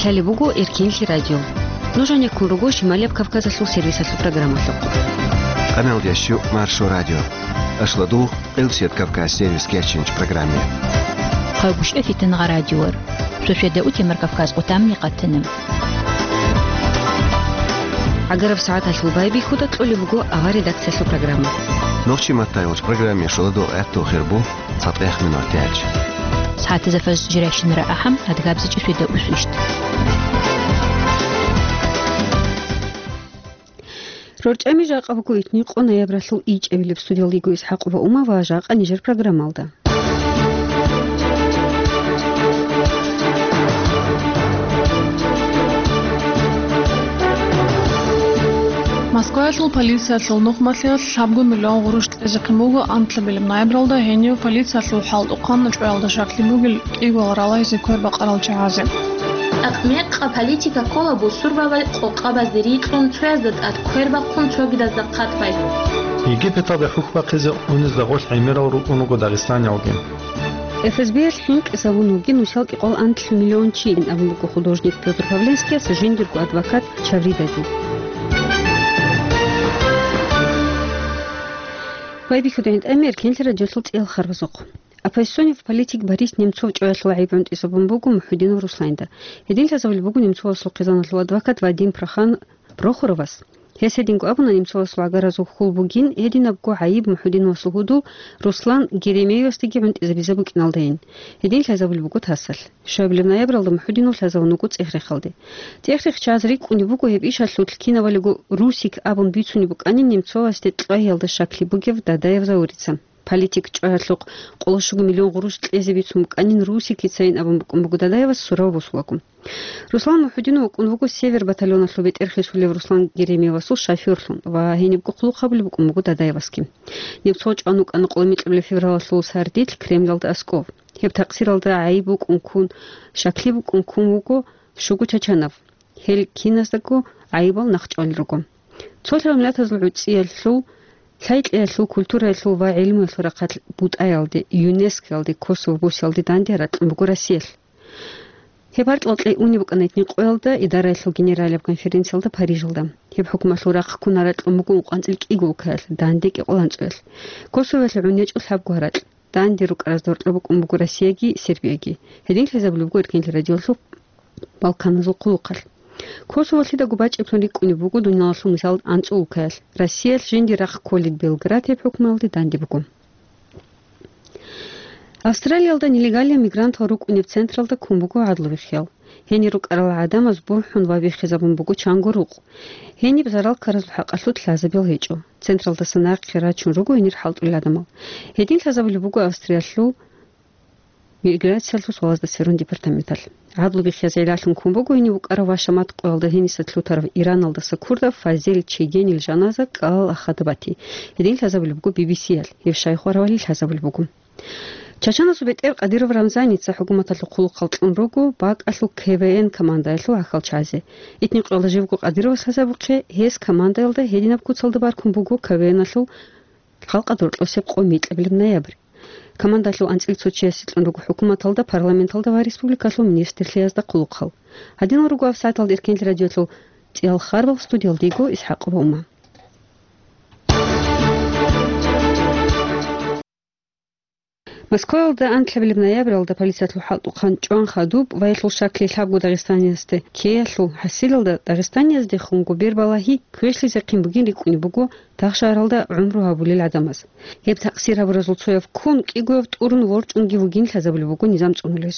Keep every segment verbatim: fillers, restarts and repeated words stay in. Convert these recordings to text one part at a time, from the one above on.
Лъалеб буго Эркенлъи радио. Нуж гьанеккун руго Шималияб Кавказалъул сервисалъул программалъухъ. Къаналдящу Маршо радио. Ашладу Къилсият Кавказ сервис кечинч программе. Хъайгушев Фитангъа радиор. Шошеда утемар Кавказ къутамни къатана. Агараб сагӀаталъул байбихьуда кьолеб буго авар редакциялъул программа. Нохчи маттайгъуч программе шоладу гӀатту хирбу. ЦатӀех минутач. СагӀатазда фажр жирайщинара ахӀам, адгабзичӀи шведа усвищт. РорчӀами жакъа буго итни къо ноябралъул ичӀабилеб. Студиялда йиго ИсхӀакъова Ума ва жакъа нижер программалда. Москваялъул полициялъул нухмалъиялъ лъабго миллион гъурущ кьезехъин буго анкьабилеб ноябралда гьенив полициялъул хӀалтӀухъан чӀваялда щаклъи бугел кӀигвал ралагьизе квербакъарал чагӀазе. Мекъа политика ккола бусурбабай къокъабазде рикьун, цоязда тӀад квербахъун, цогидазда хъатбай. Египеталда хӀухь бахъизе унезда гъолъ гӀемерал рукӀун руго дагъистаниялги. ФСБ-ялъ хӀинкъизабун вугин нусал кӀикъоялда анлъго миллион чи, абун буго художник Пётр Павленскияс жиндирго адвокат Чавридаде. Байбихьуда гӀинтӀамер кенлъи радиолъул цӀиял харбазухъ. Оппозиционный политик Борис Немцов чӀваялъул гӀайиб гӀунтӀизабун буго МухӀудинов Русланда. Гьедин лъазабулеб буго Немцовасул хъизаналъул адвокат Вадим Прохан-, Прохоровас. Гьес гьединго абуна, Немцовасул гӀагаразул хьул бугин гьединабго гӀайиб МухӀудиновасул гьудул Руслан Геремеевасдаги гӀунтӀизабизе букӀиналдайин. Гьедин лъазабулеб буго тасалъ. Щуабилеб ноябралда МухӀудинов лъазабун вуго ЦӀехрехалде. ЦӀехрехчияз рикӀкӀунеб буго гьеб ишалъулъ кинабалиго Русик абун бицунеб букӀанин Немцовасде кьвагьиялда щаклъи бугев Дадаев Заурица. Политик чӀваялъухъ къоло щуго миллион гъурущ кьезе бицун букӀанин Русикицайин абун букӀун буго Дадаевас сурав босулаго. Руслан МухӀудинов вукӀун вуго «Север» батальоналъул бетӀер хисулев Руслан Геремеевасул шофёрлъун ва гьенибго хъулухъ гьабулеб букӀун буго Дадаевасги. Немцов чӀван вукӀана къоло микьабилеб февралалъул сардилъ Кремлалда аскӀов. Гьеб такъсиралда гӀайиб букӀун ккун, щаклъи букӀун ккун вуго щуго чачанав. Гьел киназдаго гӀайибал нахъчӀвалел руго. Цолъаб миллатазул гӀуцӀиялъул, лъай-кьеялъул, культураялъул ва гӀелмуялъул рахъалъ БутӀаялде, ЮНЕСКОялде, Косово бусиялде данде гьаракь кьун буго Россиялъ. Гьеб гьаркьал кьей унеб букӀана итни къоялда Идараялъул генералияб конференциялда Парижалда. Гьеб хӀукуматалъул рахъ ккун гьаракь кьун буго ункъванцӀил кӀиго улкаялъ, дандеги къоланцӀоялъ. Косовоялъ гӀун гьечӀо лъабго гьаракь. Данде рукӀаразда гьоркьоб букӀун буго Россияги Сербияги. Гьедин лъазабулеб буго Эркенлъи радиоялъул Балканазул хъулухъалъ. Косово лъидаго бачӀиблъун рикӀкӀунеб буго дуниялалъул мисал анцӀу улкаялъ. Россиялъ жинди рахъ кколел Белград гьеб хӀукмуналде данде буго. Австралиялда нелегальный мигрантал рукӀунеб централда ккун буго гӀадлу вихъиял. Гьенир рукӀарал гӀадамаз бухӀун ва биххизабун буго чанго рукъ. Гьениб зарал ккаразул хӀакъалъулъ лъазабиял гьечӀо. Централдаса нахъе рачун руго гьенир хӀалтӀулел гӀадамал. Гьедин лъазабулеб буго Австриялъул миграциялъул суалазда сверун департаменталъ. ГӀадлу бихъизе гӀиллалъун ккун буго гьенив вукӀарав ва Шамат къоялда гьениса лъутарав Ираналдаса ккурдав Фазел Чегенил жаназа кӀалал ахада бати. Гьедин лъазабулеб буго Би Би Си-ялъ, гьев щай хваравали лъазабулеб буго. Чачаназул бетӀер Кадыров Рамзаница хӀукуматалъул хъулухъал кьун руго бакӀалъул К В Н командаялъул гӀахьалчагӀазе. Итни къоялда живго Кадыровас лъазабухъе, гьес командаялда гьединаб куцалда баркун буго К В Н-алъул халкъалда рокьосеб къо микьабилеб ноябрь. Командалъул анцӀила цо чиясе кьун руго хӀукуматалда, парламенталда ва республикалъул министрлъиязда хъулухъал. Гьадинал руго авсагӀаталда Эркенлъи радиоялъул цӀиял харбал, студиялда йиго ИсхӀакъова Ума. Москваялда анкьабилеб ноябралда полициялъул хӀалтӀухъан чӀван хадуб ва гьелъул щаклъи лъабго дагъистаниязде ккеялъул хӀасилалда дагъистанияздехунго бербалагьи квешлъизехъин бугин рикӀкӀунеб буго тахшагьаралда гӀумру гьабулел гӀадамаз. Гьеб такъсир гьабуразул цояв ккун, кӀигояв тӀурун ворчӀунги вугин лъазабулеб буго низам цӀунулез.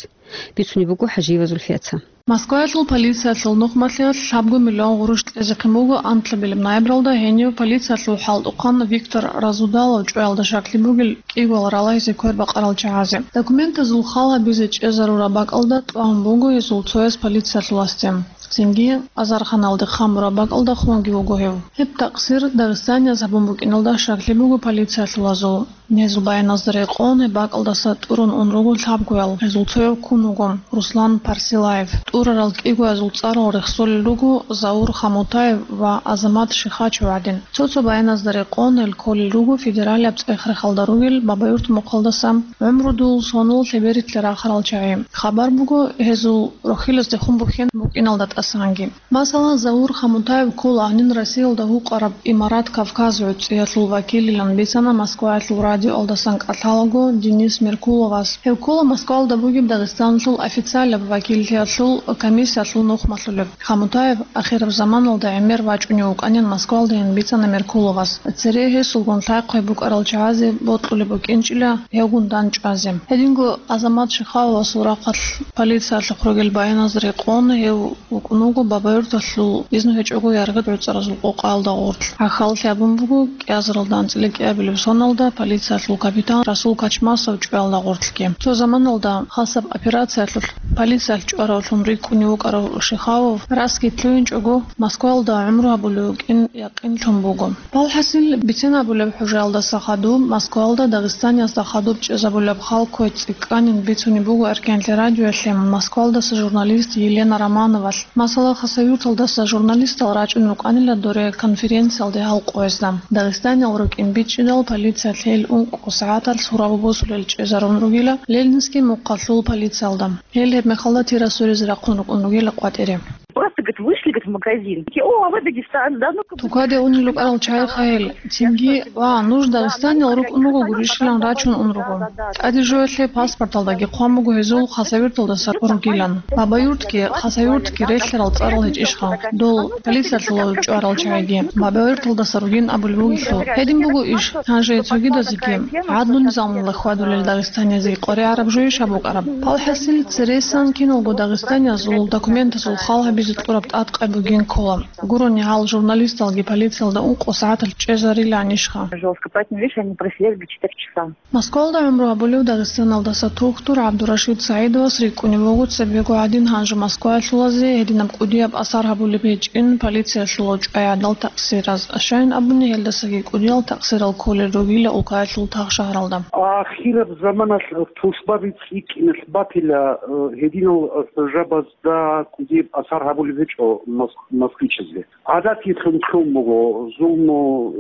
Бицунеб буго ХӀажиева Зульфияца. Москваялъул полициялъул нухмалъиялъ лъабго миллион гъурущ кьезехъин буго анкьабилеб ноябралда гьенив полициялъул хӀалтӀухъан Виктор Разудалов чӀваялда щаклъи бугел кӀигвал ралагьизе квербакъарал чагӀазе. Документазул хал гьабизе чӀезарураб бакӀалда тӀван буго гьезул цояс полициялъул гьасде. Цинги азарханалде хъамураб бакӀалда хунги вуго гьев. Гьеб такъсир дагъистанияз гьабун букӀиналда щаклъи буго полициялъулазул. Гьезул баяназда рекъон гьеб бакӀалдаса тӀурун ун руго лъабгоял, гьезул цояв ккун вуго Руслан Парсилаев. ТӀурарал кӀигоязул цӀарал рехсолел руго Заур Хамутаев ва Азамат Шихачев гӀадин. Цо-цо баяназда рекъон гьел кколел руго федералияб цӀех-рехалда ругел Бабаюрт мухъалдаса, гӀумру дул сонул лъеберилъе рахарал чагӀи. Хабар буго гьезул рохьилаздехун бухьен букӀиналда тӀасанги. Масала, Заур Хамутаев ккола гьанин Россиялда гьукъараб Имарат Кавказ гӀуцӀиялъул вакиллилан бицана Москваялъул радиоялдасан кӀалъалаго Денис Меркуловас. Гьев ккола Москваялда бугеб Дагъистаналъул официалаб вакиллъиялъул комиссиялъул нухмалъулеб. Хамутаев ахираб заманалда гӀемер вачӀунев вукӀанин Москваялдайин бицана Меркуловас. Цере гьесулгун лъай-хъвай букӀарал чагӀазе бокьулеб букӀинчӀила гьевгун дандчӀвазе. Гьединго Азамат Шихавовасул рахъалъ полициялъухъ ругел баяназ рекъон гьев вукӀун вуго Бабаюрталъул изну гьечӀого яргъи гӀуцӀаразул къокъаялда гъорлъ. ГӀахьаллъи абун буго, кӀиазаралда анцӀила кӀиабилеб соналда полициялъул капитан Расул Качмасов чӀваялда гъорлъги. Цо заманалда хасаб операциялъулъ полициялъ чӀваравлъун рикӀкӀунев вукӀарав Шихавов расги лъугьинчӀого, Москваялда гӀумру гьабулев вукӀин якъинлъун буго. Валхасил, бицен абулеб хӀужаялдаса хадуб, Москваялда Дагъистаниязда хадуб чӀезабулеб хал кквей цӀикӀкӀанин бицунеб буго Эркенлъи радиоялъе Москваялдаса журналист Елена Романовалъ. Масала, Хасавюрталдаса журналистал рачӀун рукӀанила доре конференциялде гьал къоязда. Дагъистаниял рукӀин бичӀчӀидал полициялъ гьел ункъо сагӀаталъ гьурабу босулел чӀезарун ругила Ленинский мухъалъул полициялда. Гьел гьеб мехалда тира суризе рахъун рукӀун ругила къватӀире. Просто, говорит, вышли, говорит, в магазин. Такие: «О, а вы Дагестан, да, ну-ка». Тукаде унел рукӀарал чагӀи хъайил, цинги: «Ва, нуж Дагъистаниял рукӀун руго гурищилан», рачун ун руго. ТӀаде жоялъе паспорталдаги хъван буго гьезул Хасавюрталдаса ругилан. Бабаюртги, Хасавюртги релълъарал цӀарал гьечӀищха? Дол полициялъула чӀварал чагӀиги Бабаюрталдаса ругин абулеб бугелъул. Гьедин буго иш, гьанже цогидазеги гӀадлу-низамалда хьвадулел дагъистаниязе къваригӀараб жойищ гьаб букӀараб? ПалхӀасил, цересан киналго дагъистаниязул документазул хал гьабизе кьураб тӀадкъай бугин ккола. Гурони гьал журналисталги полициялда ункъо сагӀаталъ чӀезариланищха? Жестко. Поэтому, видишь, они просидели до четыре часа. Москвалда гӀумру гьабулев Дагъистаналдаса тухтур ГӀабдурашид СагӀидовас рикӀкӀунев вуго цебего гӀадин гьанже Москваялъулазе гьединаб кӀудияб асар гьабулеб гьечӀин полициялъула чӀвай гӀадал такъсираз. Щайин абуни, гьелдасаги кӀудиял такъсирал кколел ругила улкаялъул тагъ-шагьаралда. Ахираб заманалъ тушбаби цӀикӀкӀиналъ батила, э, гьединал, э, хӀужабазда кӀудияб асар гьабулеб гьечӀо мос-, москвичазде. ГӀадатилъун лъун буго, зулму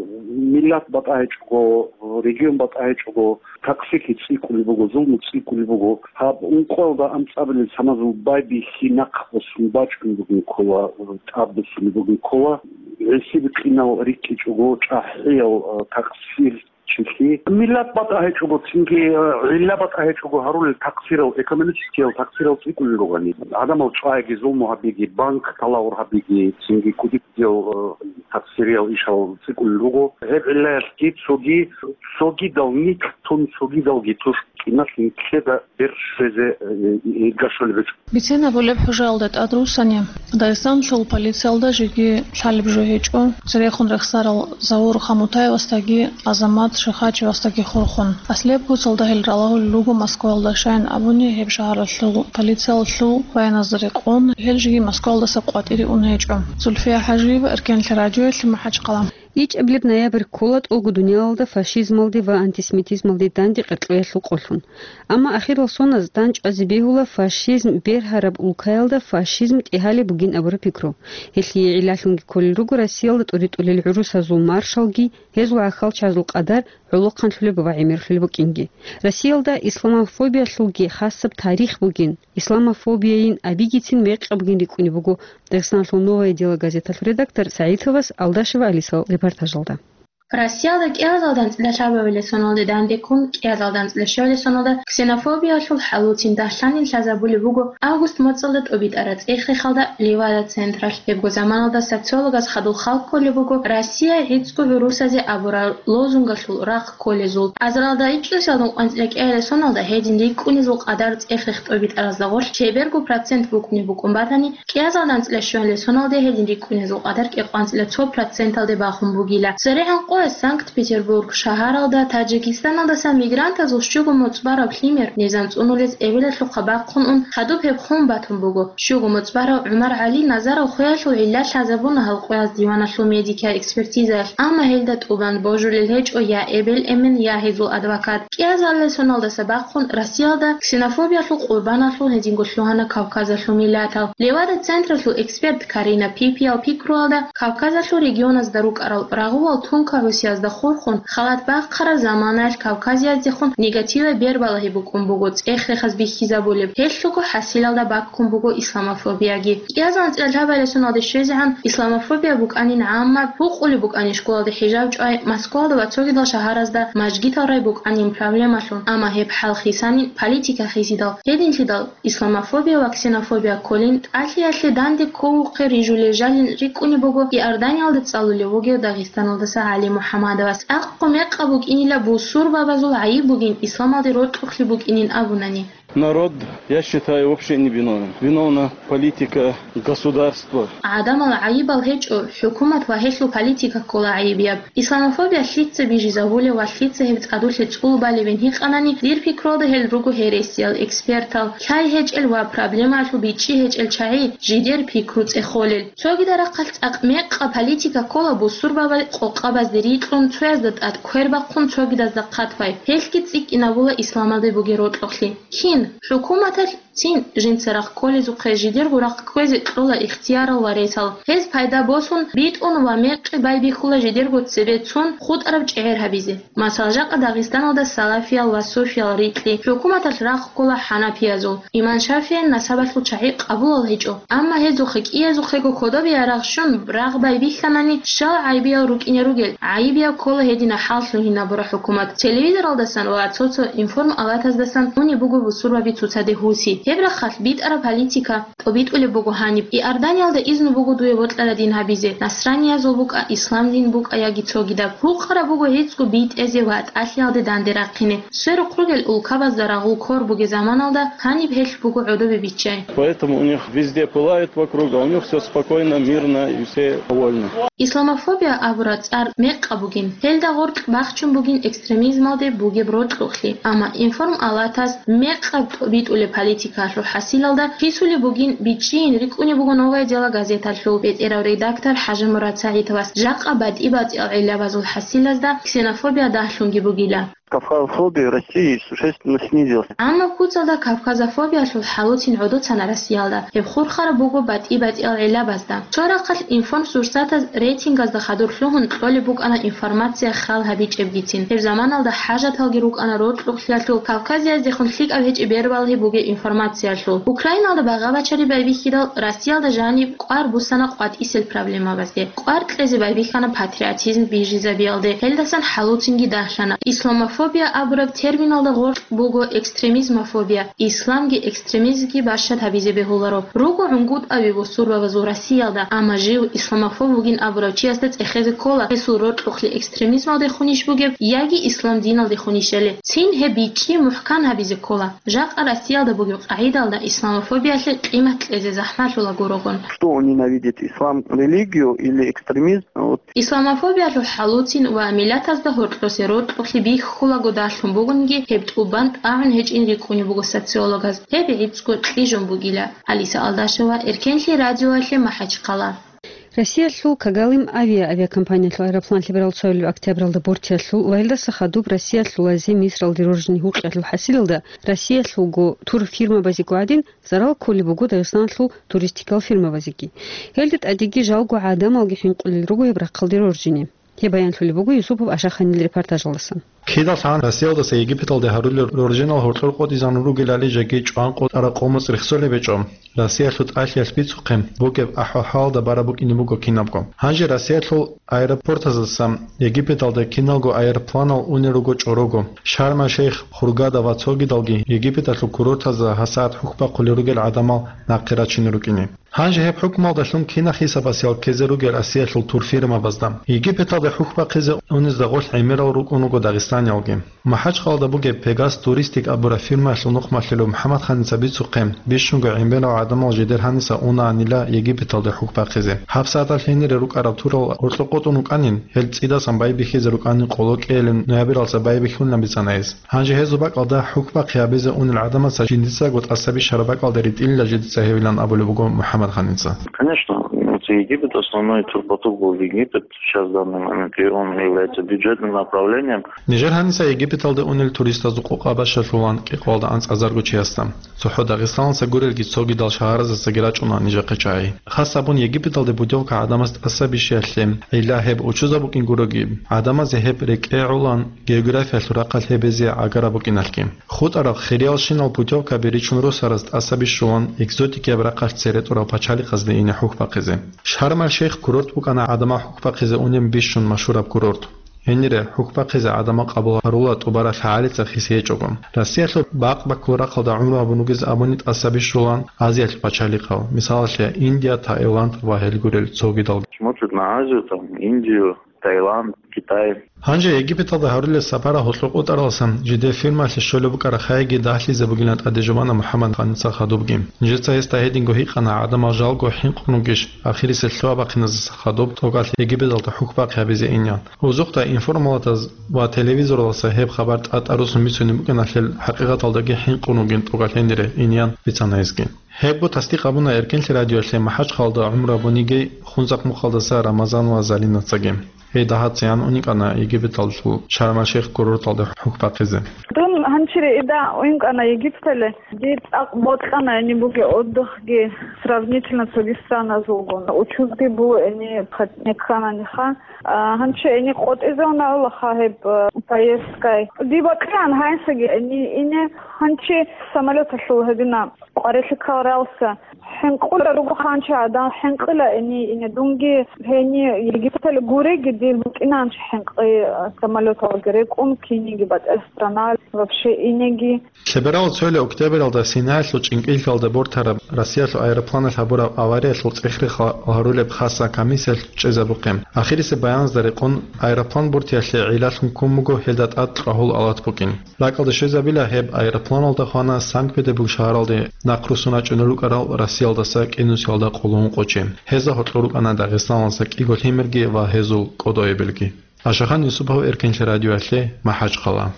миллат батӀа гьечӀого, регион батӀа гьечӀого, такъсирлъи цӀикӀкӀулеб буго, зулму цӀикӀкӀулеб буго. Гьаб ункъоялда анцӀабилел саназул байбихьи нахъ босун бачӀун бугин ккола, тӀад босун бугин ккола. ГӀисиб-къинал рикӀкӀичӀого, чӀахӀиял, а, такъсир чилъи. Миллат батӀа гьечӀого, цинги, э, гӀилла батӀа гьечӀого гьарулел такъсирал, экономическиял такъсирал цӀикӀкӀулел ругани. Гьадамал чӀвайги, зулму гьабиги, банк талаур гьабиги, цинги кудикудиял, э, такъсириял ишал цӀикӀкӀулел руго. Гьеб гӀиллаялъги цоги, цогидал никлъун, цогидалги тушкӀиналъ никлъеда бер щвезе, э, иргашулеб гьечӀо. Бицен абулеб хӀужаялда тӀад руссани, Дагъистаналъул полициялда жеги лъалеб жо гьечӀо, церехун рехсарал Заур Хамутаевасдаги Азамат Шихачевасдаги хурхун. Аслияб куцалда гьел ралагьулел руго Москваялда, щайин абуни, гьеб шагьаралъул полициялъул баяназда рекъон, гьел жеги Москваялдаса къватӀире ун гьечӀо. Зульфия ХӀажиева, Эркенлъи радиоялъе, МахӀачхъала. ИчӀабилеб ноябрь ккола тӀолго дуниялалда фашизмалде ва антисемитизмалде данде къеркьоялъул къолъун. Амма ахирал соназ дандчӀвазе бегьула фашизм бергьараб улкаялда фашизм тӀегьалеб бугин абураб пикру. Гьелъие гӀиллалъунги кколел руго Россиялда тӀуритӀулел гӀурусазул маршалги, гьезул гӀахьалчазул къадар гӀолохъанлъулеб ва гӀемерлъулеб букӀинги. Россиялда исламофобиялъулги хасаб тарих бугин. Исламофобияйин абигицин мекъабгин рикӀкӀунеб буго Дагъистаналъул «Новое дело» газеталъул редактор СагӀитовас Алдашева Алисал репортажалда. Россиялда кӀиазалда анцӀила лъабабилеб соналде дандеккун, кӀиазалда анцӀила щуабилеб соналда ксенофобиялъул хӀалуцин дагьлъанин лъазабулеб буго август моцӀалда тӀубитӀараб цӀех-рехалда Левада централъ. Гьебго заманалда социологаз хадуб хал кколеб буго Россия гӀицӀго гӀурусазе абурал лозунгалъул рахъ кколезул. Азаралда икӀкӀинусиялдалъун къванцӀила кӀиабилеб соналда гьедин рикӀкӀунезул къадар цӀех-рех тӀубитӀаразда гъорлъ чеберго процент букӀунеб букӀун батани, кӀиазалда анцӀила щуабилеб соналда гьедин рикӀкӀунезул къадар кӀикъоялда анцӀила цо проценталде бахун бугила. ЦерегӀан къо Санкт-Петербург шагьаралда Таджикистаналдаса мигрантазул щуго моцӀ бараб лъимер низам цӀунулез эбелалъухъа бахъун ун, хадуб гьеб хун батун буго. Щуго моцӀ барав ГӀумар ГӀали Назаров хвеялъул гӀилла лъазабуна гьал къояз диваналъул медикиял экспертизаялъ, амма гьелда тӀубан божулел гьечӀо я эбел-эмен, я гьезул адвокат. КӀиазалилай соналдаса бахъун Россиялда ксенофобиялъул къурбаналъул гьединго лъугьана Кавказалъул миллатал. Левада-централъул эксперт Карина Пипиял пикруялда, Кавказалъул регионазда рукӀарал рагъувал тункагӀусиязда хурхун, халат бахъараб заманаялъ кавказияздехун негативаб бербалагьи букӀун буго цӀех-рехаз бихьизабулеб, гьелъулго хӀасилалда баккун буго исламофобияги. КӀиазул анцӀила лъабалесуналде щвезегӀан исламофобия букӀанин гӀаммаб, гьукъулеб букӀанин школалде хӀижаб чӀвай, Москвалда ва цогидал шагьаразда мажгитал рай букӀанин проблемалъун, амма гьеб хӀал хисанин политика хисидал, гьединлъидал исламофобия ва ксенофобия кколин, тӀалъиялъе данде кколухъе рижулел жалин рикӀкӀунеб буго Иорданиялда цӀалулев вугев Дагъистаналдаса ГӀали МухӀаммадовас. ЦӀакъго мекъаб букӀинила бусурбабазул гӀайиб бугин, исламалде рокьухълъи букӀинин абунани. Народ, я считаю, вообще не виновен. Виновна политика государства. ГӀадамал гӀайибал гьечӀо, хӀукумат ва гьелъул политика ккола гӀайибияб. Исламофобия лъица бижизабулев ва лъица гьеб цӀадулъе цӀул балебин гьикъанани, дир пикруялда гьел руго гьересиял, экспертал, лъай гьечӀел ва проблемаялъул бичӀчӀи гьечӀел чагӀи жидер пикру цӀехолел. Цогидал рахъалъ цӀакъ мекъа политика ккола бусурбабал къокъабазде рикьун, цоязда тӀад квер бахъун, цогидазда хъат бай. Гьелъги цӀикӀкӀинабула исламалде бугеб рокьухълъи. Кин, хӀукуматалъ цин жинца рахъ кколезухъе жидерго рахъ кквезе кьола ихтиярал ва ресал. Гьез пайда босун, битӀун ва мекъи байбихьула жидерго цебе цун хутӀараб чӀегӀер гьабизе. Масала, жакъа Дагъистаналда салафиял ва суфиял рикьи хӀукуматалъ рахъ ккола хӀанафиязул. Имам ШафигӀил насабалъул чагӀи къабулал гьечӀо, амма гьезухъе кӀиязухъего кодобе ярагъ щун рагъ байбихьанани, щал гӀайибиял рукӀине ругел, гӀайибияв ккола гьедина хӀал лъугьинабура хӀукумат. Телевизоралдасан ва цо-цо информалатаздасан унеб буго бусурбаби цоцаде гьуси. Гьеб рахъалъ битӀараб политика тӀобитӀулеб буго гьаниб. Иорданиялда изну буго дуе бокьараб дин гьабизе, насраниязул букӀа, ислам дин букӀа яги цогидаб. Гьукъараб буго гьецӀго битӀезе ва тӀалъиялде данде рахъине. Сверухъ ругел улкабазда рагъул ккор бугеб заманалда гьаниб гьелъ буго гӀодобе биччай. Поэтому у них везде пылает вокруг, а у них всё спокойно, мирно и все довольны. Исламофобия абураб цӀар мекъаб бугин. Гьелда гъоркь бахчун бугин экстремизмалде бугеб рокьухълъи. Амма информалатаз мекъаб тӀобитӀулеб политикалъул хӀасилалда хисулеб бугин, бичӀчӀийин рикӀкӀунеб буго «Новое дело» газеталъул бетӀерав редактор ХӀажимурад СагӀитовас. Жакъа батӀи-батӀиял гӀиллабазул хӀасилазда ксенофобия дагьлъунги бугила. Кавказофобия в России существенно снизилась. Амма куцалда кавказофобиялъул хӀалуцин гӀодоцана Россиялда. Гьеб хурхараб буго батӀи-батӀиял гӀиллабазда. Цо рахъалъ информсурсатаз рейтингазда хадур лъугьун кьолеб букӀана информация хал гьабичӀебгицин. Гьеб заманалда хӀажаталги рукӀана рокьухълъиялъул, Кавказияздехун лъикӀаб гьечӀеб бербалагьи бугеб информациялъул. Украиналда багъа-бачари байбихьидал, Россиялда жаниб кӀвар буссана къватӀисел проблемабазде. КӀвар кьезе байбихьана патриотизм бижизабиялде, гьелдасан хӀалуцинги дагьлъана. Исламофобия абураб терминалда гъоркь буго экстремизмофобия, исламги экстремизмги бащад гьабизе бегьуларо. Руго гӀунгутӀаби бусурбабазул Россиялда, амма жив исламофоб вугин абурав чиясда цӀехезе ккола гьесул рокьухълъи экстремизмалдехунищ бугеб яги ислам диналдехунищали. Цин гьеб бичӀчӀи мухӀкан гьабизе ккола. Жакъа Россиялда бугеб къагӀидалда исламофобиялъе къимат кьезе захӀмалъула гурогъун. Что он ненавидит, ислам, религию или экстремизм? Вот. Исламофобиялъул хӀалуцин ва миллатазда гьоркьосе рокьухълъи бихьулаго дагьлъун бугониги, гьеб тӀубан тӀагӀун гьечӀин рикӀкӀунеб буго социологаз. Гьеб гӀицӀго кьижун бугила. Алиса Алдашева, Эркенлъи радиоялъе, МахӀачхъала. Россиялъул Когалым авиа авиакомпаниялъул аэроплан лъеберал цоялъул октябралда Бортиялъул ва гьелдаса хадуб Россиялъул Азия Мисралде роржине гьукъиялъул хӀасилалда Россиялъулго турфирмабазего гӀадин, зарал кколеб буго Дагъистаналъул туристикал фирмабазеги. Гьелда тӀадеги жалго гӀадамалги хӀинкъулел руго гьеб рахъалде роржине. Гьеб баянлъулеб буго Юсупов Ашаханил репортажалдасан. Кидалъан Россиялдаса Египеталде гьарулел роржинал гьоркьор къотӀизан ругелали жеги чӀван къотӀараб къо-моцӀ рехсолеб гьечӀо. Россиялъул тӀалъиялъ бицухъе бугеб ахӀвал-хӀалалда бараб букӀине буго кинабго. Гьанже Россиялъул аэропортаздасан Египеталде киналго аэропланал унел руго чӀорого. Шарм-аш-Шейх, Хургада ва цогидалги Египеталъул курортазда гьасагӀат хӀухьбахъулел ругел гӀадамал нахъе рачине рукӀине. Гьанже гьеб хӀукмалдалъун кинаб хӀисабас ял ккезе ругел Россиялъул турфирмабазда? Египеталде хӀухьбахъизе унезда гъорлъ гӀемерал рукӀун руго Дагъистан. Алжириялги. МахӀачхъалада бугеб Пегас Туристик абураб фирмаялъул нухмалъулев МухӀаммад Ханица бицухъе, бищунго гӀемерал гӀадамал жидер гьаниса унаанила Египеталде хӀухь бахъизе. ГьабсагӀаталъ гьенире рукӀараб турал гьоркьоб къотӀун рукӀанин, гьел цӀидасан байбихьизе рукӀанин къоло кӀиялин ноябралдаса байбихьулин бицана гьес. Гьанже гьезул бакӀалда хӀухь бахъи гьабизе унел гӀадамаца жиндицаго тӀаса бищараб бакӀалде ритӀилила жидица гьевилан абулеб буго МухӀаммад Ханица. Конечно, вот Египет, основной турпоток был в Египет сейчас в данный момент, и он является бюджетным направлением. Нижер гьаниса Египеталде унел туристазул къокъа бащалъулан кӀикъоялда анцӀазарго чиясда. ЦохӀо Дагъистаналдаса гурелги цогидал шагьаразасаги рачӀуна нижехъе чагӀи. Хас абун Египеталде путевка гӀадамаз тӀаса бищиялъе, гӀилла гьеб учузаб букӀин гуроги, гӀадамазе гьеб рекӀегӀулан географиялъул рахъалъ гьебезе гӀагараб букӀиналъги. ХутӀараб хириялщинал путевкаби ричун росараз тӀаса бищулан экзотикияб рахъалъ цере тӀурал пачалихъазде ине хӀухь бахъизе. Шарм-аль-Шейх курорт букӀана гӀадамал хӀухь бахъизе унеб бищун машгьураб курорт. Гьенире хӀухь бахъизе гӀадамал къабул гьарула тӀубараб лъагӀалица хиси гьечӀого. Россиялъул бакъ-баккул рахъалда гӀумру гьабун ругез абуни тӀаса бищулан Азиялъул пачалихъал, мисалалъе, Индия, Таиланд ва гьел гурел цогидалги. Смотрит на Азию, там, Индию, Таиланд, Китай. Гьанже Египеталда гьарулел сапарал гьоркьоб къотӀаралдасан жидер фирмаялъе щолеб букӀараб хайиги дагьлъизе бугилан тӀаде жубана МухӀаммад Ханица хадубги. Нижеца гьесда гьединго гьикъана, гӀадамал жалго хӀинкъун ругищ, ахирисеб лъугьа-бахъиназеса хадуб тӀокӀалъ Египеталда хӀухь бахъи гьабизе инин. Гьезухъа информалатаз ва телевизоралдаса гьеб хабар тӀатӀа-тӀарусун бицунеб букӀиналъе, хӀакъикъаталдаги хӀинкъун ругин тӀокӀалъ гьенире инин бицана гьезги. Гьебго тасдикъ гьабуна Эркенлъи радиоялъе МахӀачхъалда гӀумру гьабуниги Хунзахъ мухъалдаса Рамазан ва Залинацаги. Гьей дагьа цеян уникӀана Египеталъул Шарм-аль-Шейх курорталде хӀухь бахъизе. Дун гьанчире ида уинкӀана Египетале. Дир цӀакъ бокьана гьениб бугеб отдыхги сравнительно цоги страназулгун. Учузги буго гьениб хатӀ-, некъананиха. А, гьанчи гьениб къотӀизе унаулаха гьеб, а, поездкай. Диб бакьилан гьанисаги гьениб ине, гьанчи самолеталъул гьедина къварилъи ккаралса. ХӀинкъула руго гьанчи гӀадан, хӀинкъила гьениб ине. Дунги гьениб Египетале гуреги, дир букӀина гьанчи хӀинкъи, а, самолеталги рекӀун, киниги батӀа страна, вообще инеги. Лъеберал цоялъ октябралда Синаялъул чӀинкӀиллъиялда бортараб Россиялъул аэропланалъ гьабураб авариялъул цӀех-рех гьарулеб хасаб комиссиялъ чӀезабухъе. Ахирисеб баяназда рекъон, аэроплан бортиялъе гӀиллалъун ккун буго гьелда тӀад кьвагьул алат букӀин. РакӀалде щвезабила гьеб аэропланалда хвана Санкт-Петербург шагьаралде нахъ руссун рачӀунел рукӀарал Россиялдаса кӀинусиялда къоло ункъо чи. Гьезда гьоркьор рукӀана Дагъистаналдаса кӀиго лъимерги ва гьезул кӀодоэбелги. Ашахан Юсупов, Эркенлъи радиоялъе, МахӀачхъала.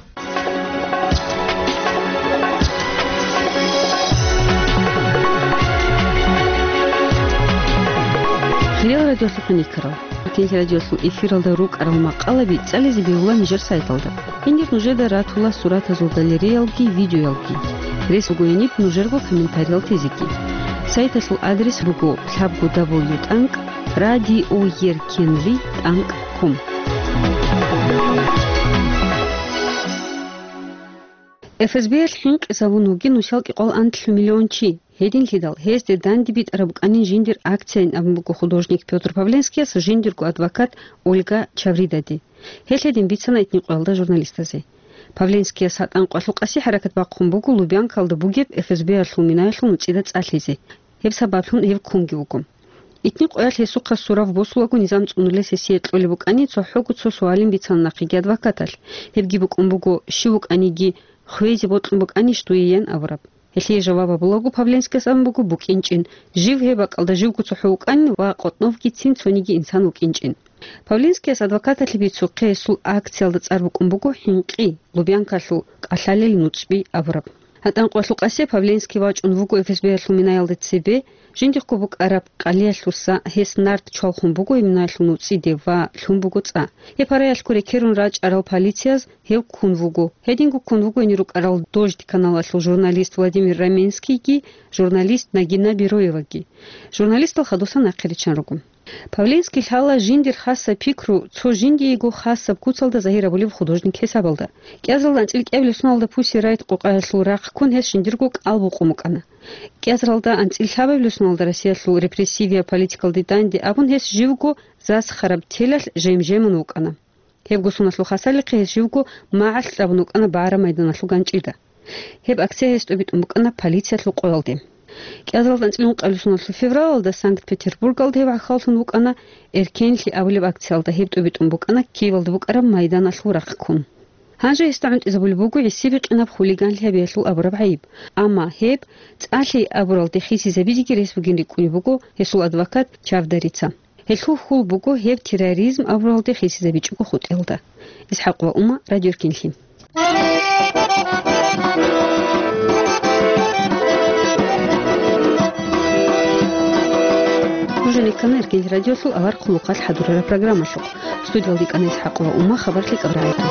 Хириял радиолъухъ никарал. Эркенлъи радиолъул эфиралда рукӀарал макъалаби цӀализе бегьула нижер сайталда. Гьенир нужеда ратула суратазул галереялги видеоялги. Рес буго гьениб нужерго комментариял тезеги. Сайталъул адрес буго лъабго дабл ю тӀанкӀ радиоеркенлъи тӀанкӀ ком. ФСБ-ялъ хӀинкъизабун вугин нусал кӀикъоялда анлъго миллион чи. Гьединлъидал гьезде данде битӀараб букӀанин жиндир акцияйин абун буго художник Пётр Павленскияс жиндирго адвокат Ольга Чавридаде. Гьелъ гьедин бицана итни къоялда журналистазе. Павленскияс гьатӀан къвалъукъасе хӀаракат бахъун буго Лубянкалда бугеб ФСБ-ялъул минаялъул нуцӀида цӀалъизе. Гьеб сабаблъун гьев ккунги вуго. Итни къоялъ гьесухъа сурав босулаго низам цӀунулес гьесие кьолеб букӀани, цохӀого цо суалин бицана нахъеги адвокаталъ. Гьебги букӀун буго, щив вукӀаниги, хвезе бокьун букӀанищ дуе ян абураб. Гьелъие жаваб гьабулаго Павленскияс абун буго букӀинчӀин, жив гьеб бакӀалда живго цохӀо вукӀанин ва къотӀновгицин цониги инсан вукӀинчӀин. Павленскияс адвокаталъе бицухъе гьесул акциялда цӀар букӀун буго «ХӀинкъи, Лубянкалъул кӀалъалел нуцӀби» абураб. ГьатӀан къвалъукъасе Павленский вачӀун вуго ФСБ-ялъул минаялде цебе, жиндихъго букӀараб къалиялъуса гьес нарт чвалхун буго гьеб минаялъул нуцӀиде ва лъун буго цӀа. Гьеб гьараялъго рекерун рачӀарал полицияз гьев ккун вуго. Гьединго ккун вуго гьенир рукӀарал Дождь каналалъул журналист Владимир Раменскийги, журналист Нагина Бероеваги. Журналистал хадусан нахъе риччан руго. Павленский лъала жиндир хасаб пикру цо жиндиего хасаб куцалда загьир гьабулеб художник гьесабалда. КӀиазалда анцӀила кӀиабилеб соналда Pussy Riot къокъаялъул рахъ ккун гьес жиндирго кӀал букъун букӀана. КӀиазалда анцӀила лъабабилеб соналда Россиялъул репрессивияб политикалде данде абун гьес живго засхараб телалъ жем-жемун вукӀана. Гьебго соналъул хасалихъе гьес живго магӀалъ кьабун вукӀана БагӀараб майданалъул ганчӀида. Гьеб акция гьес тӀобитӀун букӀана полициялъул къоялде. КӀиазалда анцӀила ункъабилеб соналъул февралалда Санкт-Петербургалда гьев гӀахьаллъун вукӀана, «Эркенлъи» абулеб акциялда гьеб тӀобитӀун букӀана Киевалда букӀараб майданалъул рахъ ккун. Гьанже гьесда гӀунтӀизабулеб буго гӀисибикъинаб хулиганлъи гьабиялъул абураб гӀайиб. Амма гьеб цӀалъи абуралде хисизабизеги рес бугин рикӀкӀунеб буго гьесул адвокат Чавдарица. Гьелъул хьул буго гьеб терроризм абуралде хисизабичӀого хутӀиялда. ИсхӀакъ ва Ума, Радио Эркинлъи. Нуж рекана Эркин радиолъул авар хъулухъалъ хӀадурараб программалъухъ. Студиялда йикӀана ИсхӀакъ ва Ума, хабар лъикӀаб рагӀида.